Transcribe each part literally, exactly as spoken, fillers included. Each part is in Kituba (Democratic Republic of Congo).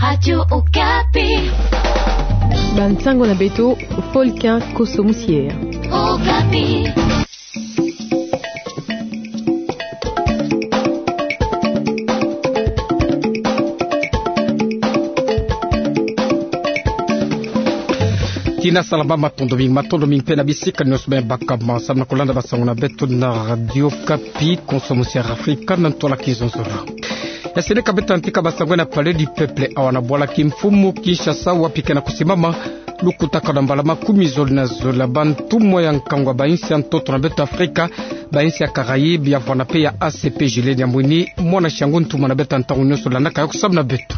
Radio Okapi. Bansango na beto, Folkin Koso Musier. Okapi. Tina salama, matondo mingi, matondo mingi mpe na bisika nyonso me bakama samu na kolanda bansango na beto na Radio Okapi, Konso Musier Afrika na ntwala kizonzolo. Ya seleka beto antika bansango na Palais du Peuple awa na bwala kimfumu Kinshasa, wapi ke na kusimama lukutakanu ya mbala makumi zole na zole ya bantumwa ya nkangu ya bainsi ya ntoto na beto Afrika, bainsi ya Caraïbes, ya vwanda mpe ya A C P. Julien Diamwini, mwana siangu ntumwa na beto ya ntangu nyonso, landaka yo samu na beto.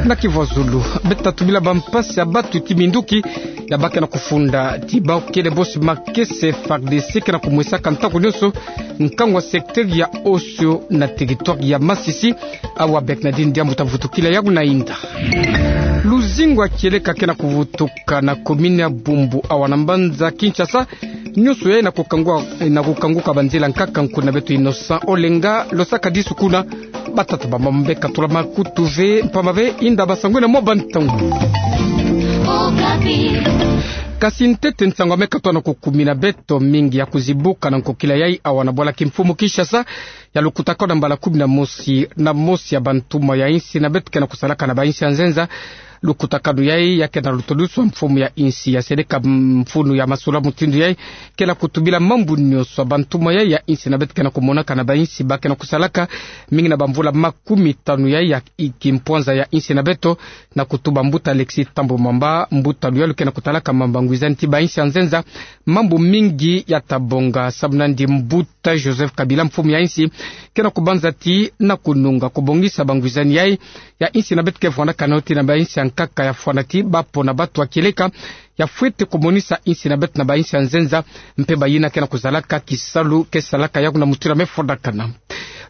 Na kivwazulu, beto ta tubila bampasi ya batu ti minduki ya ba ke na kufunda ti bawu kele bosi makese FARDC ke na kumwisaka ntangu nyonso nkangu ya secteur ya Osio na territoire ya Masisi. Awa Bernardine Diambu ta vutukila yawu na inda. Luzingu ya kieleka ke na kuvutuka na commune ya Bumbu awa na mbanza Kinshasa. Nyonso yayi na kukangua-, na kukanguka banzila nkaka. Nkuna beto Innocent Olenga losaka disu kuna. Batata, bamama, mbe katula makutu ve mpamba ve inda bansango na mwa bantangu. Kasi ntete nsangu ya me katoa na kukumina beto mingi ya kuzibuka na nkokila yayi awa na bwala kimfumu Kinshasa, ya lukutakanu ya mbala kumi na mosi na mosi ya bantumwa ya insi na beto ke na kusalaka na bainsi ya nzenza. Lukutakanu yayi ya ke na lutoduswa mfumu ya insi. Ya seleka mfunu ya masolo mutindu yayi ke na kutubila mambu nyonso ya bantumwa yayi ya insi na beto ke na kumonaka na bainsi ba ke na kusalaka, mingi na bamvula makumi tanu yayi ya i-, kimpwanza ya insi na beto, na kutuba mbuta Alexis Thambwe Mwamba, mbuta luyalu ke na kutalaka mamba ngwizani ti bainsi ya nzenza. Mambu mingi ya ta bonga samu na yandi mbuta Joseph Kabila, mfumu ya insi, ke na kubanza ti na kununga kubongisa bangwizani yayi ya insi na beto ke vwandaka na yo ti na bainsi ya nkaka, ya fwana ti ba pona batu ya kieleka, ya fwete kumonisa insi na beto na bainsi ya nzenza, mpe bayina ke na kuzalaka kisalu ke salaka yawu na mutindu ya me fondakana.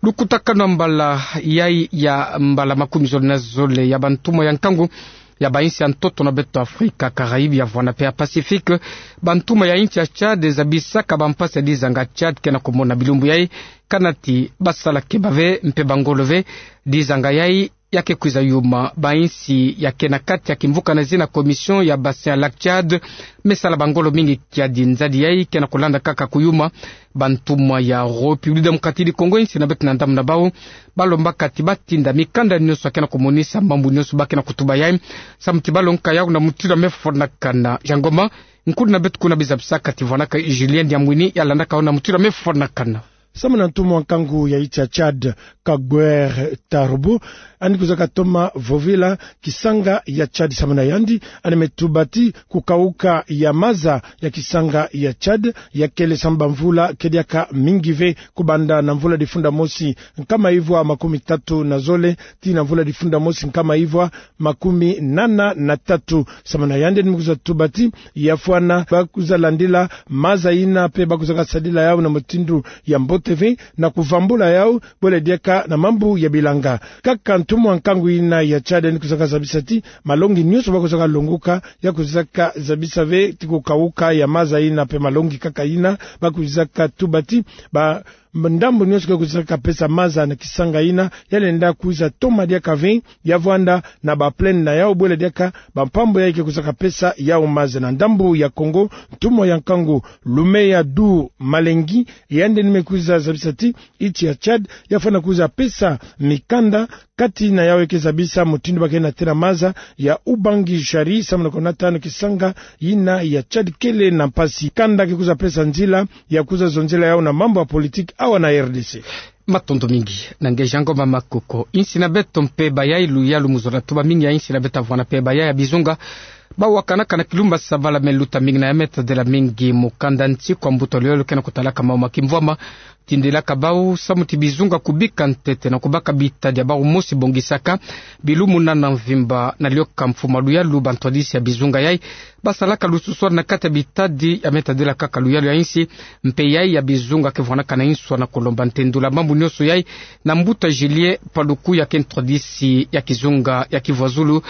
Lukutakanu ya mbala yayi ya mbala makumi zole na zole ya bantumwa ya nkangu ya bainsi ya ntoto na beto Afrika, Caraïbes, ya vwanda mpe ya Pacifique, bantumwa ya insi ya Tchad zabisaka bampasi ya dizanga Tchad ke na kumona bilumbu yayi, kana ti basala keba ve mpe bangolo ve. Dizanga yayi ya ke kwiza yuma bainsi ya ke na kati ya kimvuka na zina Commission ya Bassin ya Lac Tchad, me sala bangolo mingi kiadi. Nzadi yayi ke na kulanda kaka kuyuma. Bantumwa ya République Démocratique du Congo, insi na beto na ndambu na bawu, balombaka ti batinda mikanda nyonso ya ke na kumonisa mambu nyonso ba ke na kutuba yayi, samu ti balongoka yawu na mutindu ya me fondakana. Jean Ngoma, nkuna beto kuna, bizabisaka ti vwandaka Julien Diamwini, ya landaka yo na mutindu ya me fondakana. Samu na ntumwa nkangu ya insi ya Tchad, Kaguer Tarbo, yandi kwizaka toma vovila kisanga ya Tchad. Samu na yandi, yandi me tuba ti kukauka ya maza ya kisanga ya Tchad ya kele samu bamvula ke diaka mingi ve, kubanda na mvula difunda mosi nkama ivwa makumi tatu na zole tii na mvula difunda mosi nkama ivwa makumi nana na tatu. Samu na yandi, yandi me kwiza tuba ti ya fwana ba kwiza landila maza yina mpe ba kwizaka sadila yawu na mutindu ya mbote ve, na kuvambula yawu bwele diaka na mambu ya bilanga. Kaka ntumwa nkangu yina ya Tchad yandi kwizaka zabisa ti malongi nyonso ba kwizaka longoka, ya kwizaka zabisa ve ti kukauka ya maza yina mpe malongi kaka yina. Ba kwizaka tuba ti ba ndambu nyonso ke kwizaka pesa maza na kisanga yina, ya lenda kwiza toma diaka ve, ya vwanda na ba plaine na yawu bwele diaka bampambu yayi ke kwizaka pesa yawu maza. Na ndambu ya Congo, ntumwa ya nkangu Loumeya Du Malengi, yandi yandi me kwiza zabisa ti insi ya Tchad ya fwana kwiza pesa mikanda, kati na yawu ya ke zabisa mutindu ba ke na tena maza ya Ubangi-Jari, samu na konata nde kisanga yina ya Tchad kele na mpasi. Kanda ke kwiza pesa nzila ya kwiza zonzela yawu na mambu ya politique awa na R D C. Matondo mingi na nge Jean Ngoma Makoko. Insi na beto mpeba yayi, luyalu mu zola tuba, mingi ya insi na beto ya vwanda mpeba yayi ya bizunga. Ba wakanaka na kilumba Savala, me luta mingi na ya me tadela mingi mukanda nti kwa mbuta luyalu ke na kutalaka mawu ma kimvwama. Tindilaka bawu samu ti bizunga kubika ntete na kubaka bitadi ya bawu mosi bongisaka bilumu nana mvimba, na lioka mfumu luyalu bantwadisi ya bizunga yayi ba salaka lususwani na kati ya bitadi ya me tadila kaka luyalu ya insi. Mpe yayi ya bizunga ke vwanaka na inswa na kulomba ntendula mambu nyonso yayi na mbuta Julien Paluku, ya ke ntwadisi ya kizunga ya kivwazulu.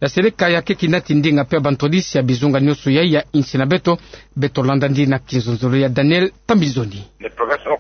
Ya seleka ya ke kinati ndinga mpe ya bantwadisi ya bizunga nyonso yayi ya insi na beto. Beto landa ndi na kinzonzolo ya Daniel Tambizoni. Le professeur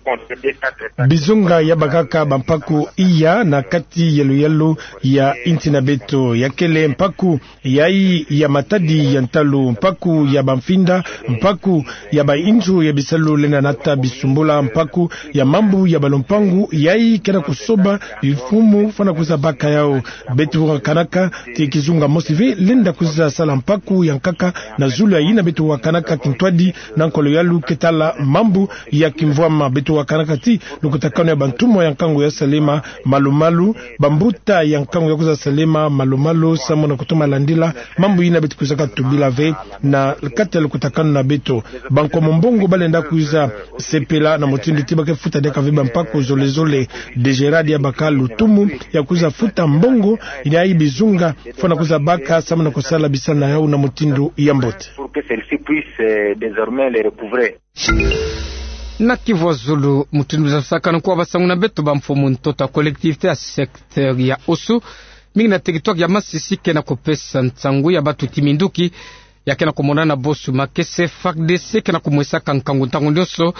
Bizonga ya bakaka bampaku iya na kati ya luyalu ya inti na beto, ya kele mpaku yayi ya matadi ya ntalu, mpaku ya bamfinda, mpaku ya bainzo ya bisalu lenda nata bisumbula, mpaku ya mambu ya balumpangu, yayi ke na kusoba bimfumu fwana kwiza baka yawu. Beto wakanaka ti kizunga mosi ve lenda kwiza sala mpaku ya nkaka na zulu ya yina beto wakanaka kintwadi na nkolo yalu ke tala mambu ya kimvwama. Beto wakanaka ti lukutakanu ya bantumwa ya nkangu ya salema malu-malu, bambuta ya nkangu ya kwiza salema malu-malu, samu na kutoma landila mambu yina beto kwizaka tubila ve na kati ya lukutakanu na beto. Bankomo mbongo balenda kwiza sepela na mutindu ti ba ke futa diaka ve bampaku zole-zole. Degerade ya baka lutumu ya kwiza futa mbongo yayi bizunga fwana kwiza baka samu na kusala bisalu na yawu na mutindu ya mbote. Pour que celle-ci puisse, euh, désormais les recouvrer. Na Kivu ya zulu, mutindu muzabisakanu kwa basangu na beto, bamfumu ntoto ya collectivité ya secteur ya Osu, mingi na territoire ya Masisi, ke na kupesa nsangu ya batuti minduki ya ke na kumonana bosu makese. F A R D C ke na kumwesaka nkangu ntangu nyonso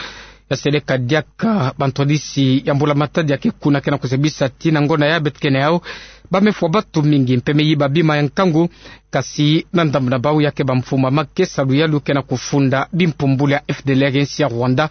ya seleka diaka bantwadisi ya mbula-matadi ya ke kuna, ke na kuzabisa ti na ngonda ya beto ke na yawu, ba me fwa batu mingi mpe me yiba bima ya nkangu. Kasi na ndambu na bawu, ya ke bamfumu ya makesa luyalu ke na kufunda bimpumbulu ya F D L R, insi ya Rwanda,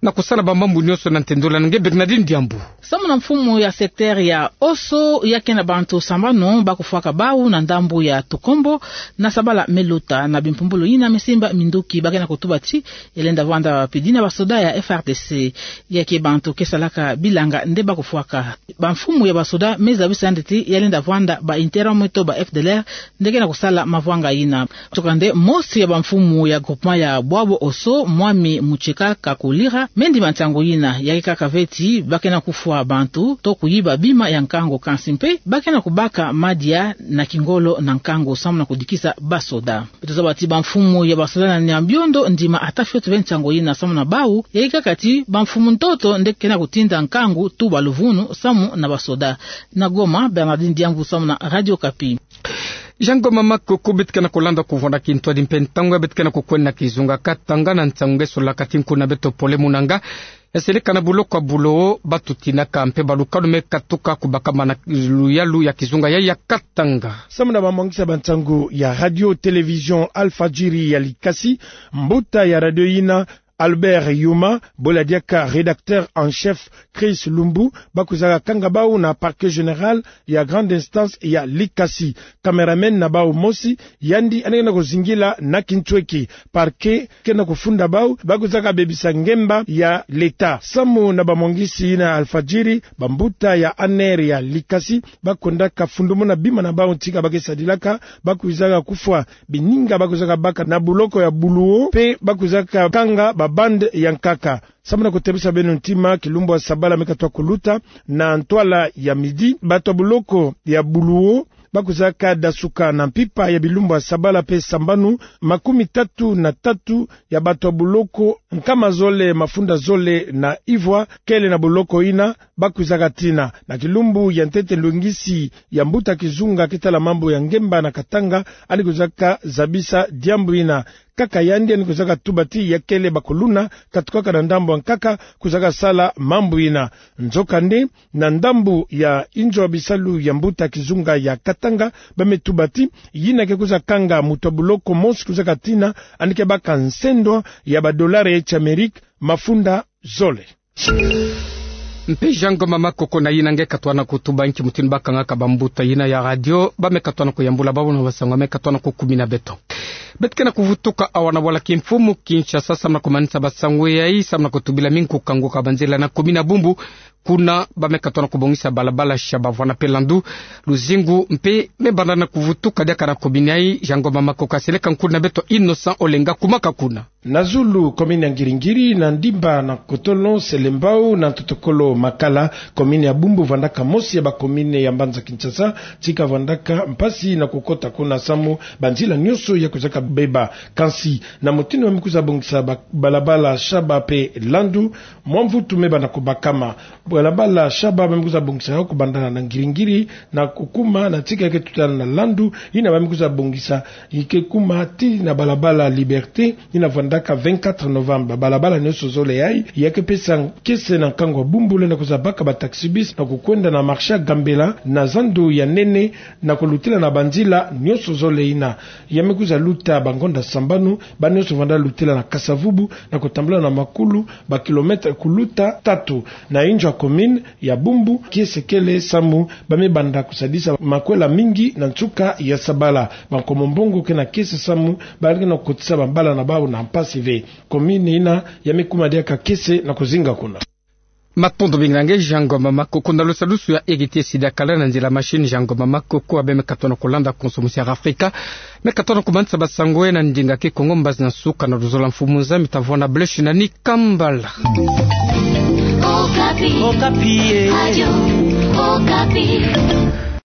na kusala bamambu nyonso na ntendola na nge Bernardine Diambu. Samu na mfumu ya secteur ya Osu, ya ke na bantu sambanu ba kufwaka bawu na ndambu ya Tukombo na Sabala me luta. Na bimpumbulu yina me simba minduki, ba ke na kutuba ti ya lenda vwanda pedi na basoda ya F A R D C. Ya ke bantu ke salaka bilanga nde ba kufwaka. Bamfumu ya basoda me zabisa yandi ti ya lenda vwanda ba interro me to ba F D L R nde ke na kusala mavwanga yina. Nzokande, mosi ya bamfumu ya groupement ya Bwabo Osu, Mwami Mucheka Kakulira, me ndima nsangu yina. Ya ke kaka ve ti ba ke na kufwa bantu to kuyiba bima ya nkangu, kansi mpe ba ke na kubaka madia na kingolo na nkangu samu na kudikisa basoda. Beto zaba ti bamfumu ya basoda na Nyabiondo ndima ata fioti ve nsangu yina. Samu na bawu, ya ke kaka ti bamfumu ntoto nde ke na kutinda nkangu, tuba luvunu samu na basoda. Na Goma, Bernardine Diambu samu na Radio Okapi. Jean Ngoma Makoko. Beto ke na kulanda kuvwanda kintwadi mpe ntangu ya beto ke na kukwenda na kizunga Katanga, na nsangu nge solaka ti nkuna beto Pole Munanga ya seleka na buloko ya Bulowo, batu tinaka mpe balukanu me katuka kubakama na luyalu ya kizunga yayi ya Katanga. Samu na bamwangisa bansangu ya radio télévision Alfadjiri ya Likasi, mbuta ya radio yina Albert Yuma, bola diaka rédacteur en chef Chris Lumbu, ba kwizaka kanga bawu na parquet général ya grande instance ya Likasi. Cameraman na bawu mosi, yandi yandi ke na kuzingila na kintweki. Parquet ke na kufunda bawu ba kwizaka bebisa ngemba ya l'État. Samu na bamwangisi yina Alfadjiri, bambuta ya A N R ya Likasi ba kwendaka fundumuna bima na bawu ntika ba ke sadilaka, ba kwizaka kufwa bininga ba kwizaka baka na buloko ya Bulowo, mpe ba kwizaka kanga ba bande ya nkaka. Samu na kutebisa beno ntima, kilumbu ya sabala me katuka kuluta, na ntwala ya midi, batu ya buloko ya Bulowo ba kwizaka dasuka na mpimpa ya bilumbu ya sabala mpe sambanu, makumi tatu na tatu ya batu ya buloko nkama zole mafunda zole na ivwa kele na buloko yina ba kwizaka tina. Na kilumbu ya ntete, lwengisi ya mbuta kizunga ke tala mambu ya ngemba na Katanga yandi kwizaka zabisa diambu yina. Kaka yandi yandi kwizaka tuba ti ya kele bakuluna katukaka na ndambu ya nkaka kwizaka sala mambu yina. Nzokande, na ndambu ya inzo ya bisalu ya mbuta kizunga ya Katanga, ba me tuba ti yina ke kwiza kanga muntu ya buloko mosi kwizaka tina, yandi ke baka nsendwa ya ba dollars ya Amerika mafunda zole. Mpe Jean Ngoma Makoko, na yina nge katwana kutuba nki mutindu ba kangaka bambuta yina ya radio, ba me katwana kuyambula bawu na basangu ba me katwana kukumina beto. Beto ke na kuvutuka awa na bwala kimfumu Kinshasa, samu na kumanisa basangu yayi, samu na kutubila mingi kukanguka banzila na commune ya Bumbu. Kuna ba me katwana kubongisa balabala Shaba vwanda mpe Landu. Luzingu mpe me banda na kuvutuka diaka na commune yayi. Jean Ngoma Makoko, seleka nkuna beto Innocent Olenga, kumaka kuna. Na zulu commune ya Ngiri-Ngiri, na Ndimba, na Kotolo, Selembao, na Ntotokolo, Makala, commune ya Bumbu vwandaka mosi ya ba commune ya mbanza Kinshasa tika vwandaka mpasi na kukota kuna samu banzila nyonso ya kwizaka beba. Kansi, na mutindu ba me kwiza bongisa ba-, balabala Shaba mpe Landu, mwa mvutu me banda kubakama. Balabala Shaba ba me kwiza bongisa yo kubanda na Ngiri-Ngiri na kukuma na tika ke tutana na Landu, yina ba me kwiza bongisa yi ke kuma tii na balabala Liberté, yina vwanda Aka vingt-quatre novembre, balabala nionso zole yayi, ya ke pesa kiese na nkangu ya Bumbu lenda kuzabaka ba taxi-bus na kukwenda na marché ya Gambela na zandu ya nene, na kulutila na banzila nionso zole yina. Ya me kuzaluta bangonda sambanu, bana nionso vanda lutila na kasa-vubu, na kutambula na makulu, ba kilomètre kuluta tatu. Na inzo ya commune ya Bumbu, kiese kele samu, ba me banda kusadisa makwela mingi na nsuka ya sabala. Bankomo mbongo ke na kiese samu, ba ke na kukotisa bambala na bau na mpasi ve. Commune yina, ya me kuma diaka kiese na kuzinga kuna. Matondo mingi na nge, Jean Ngoma Makoko. Na lusadusu ya Egiti Sida Kala na nzila machine, Jean Ngoma Makoko, abe me katona kulanda konso musi ya Afrika. Me katona kumanisa basango na ndinga Kikongo, mbazi na nsuka na luzola mfumu nza, mi tavona bleshi na ni kambala. Okapi. Okapi, eh. Radio Okapi.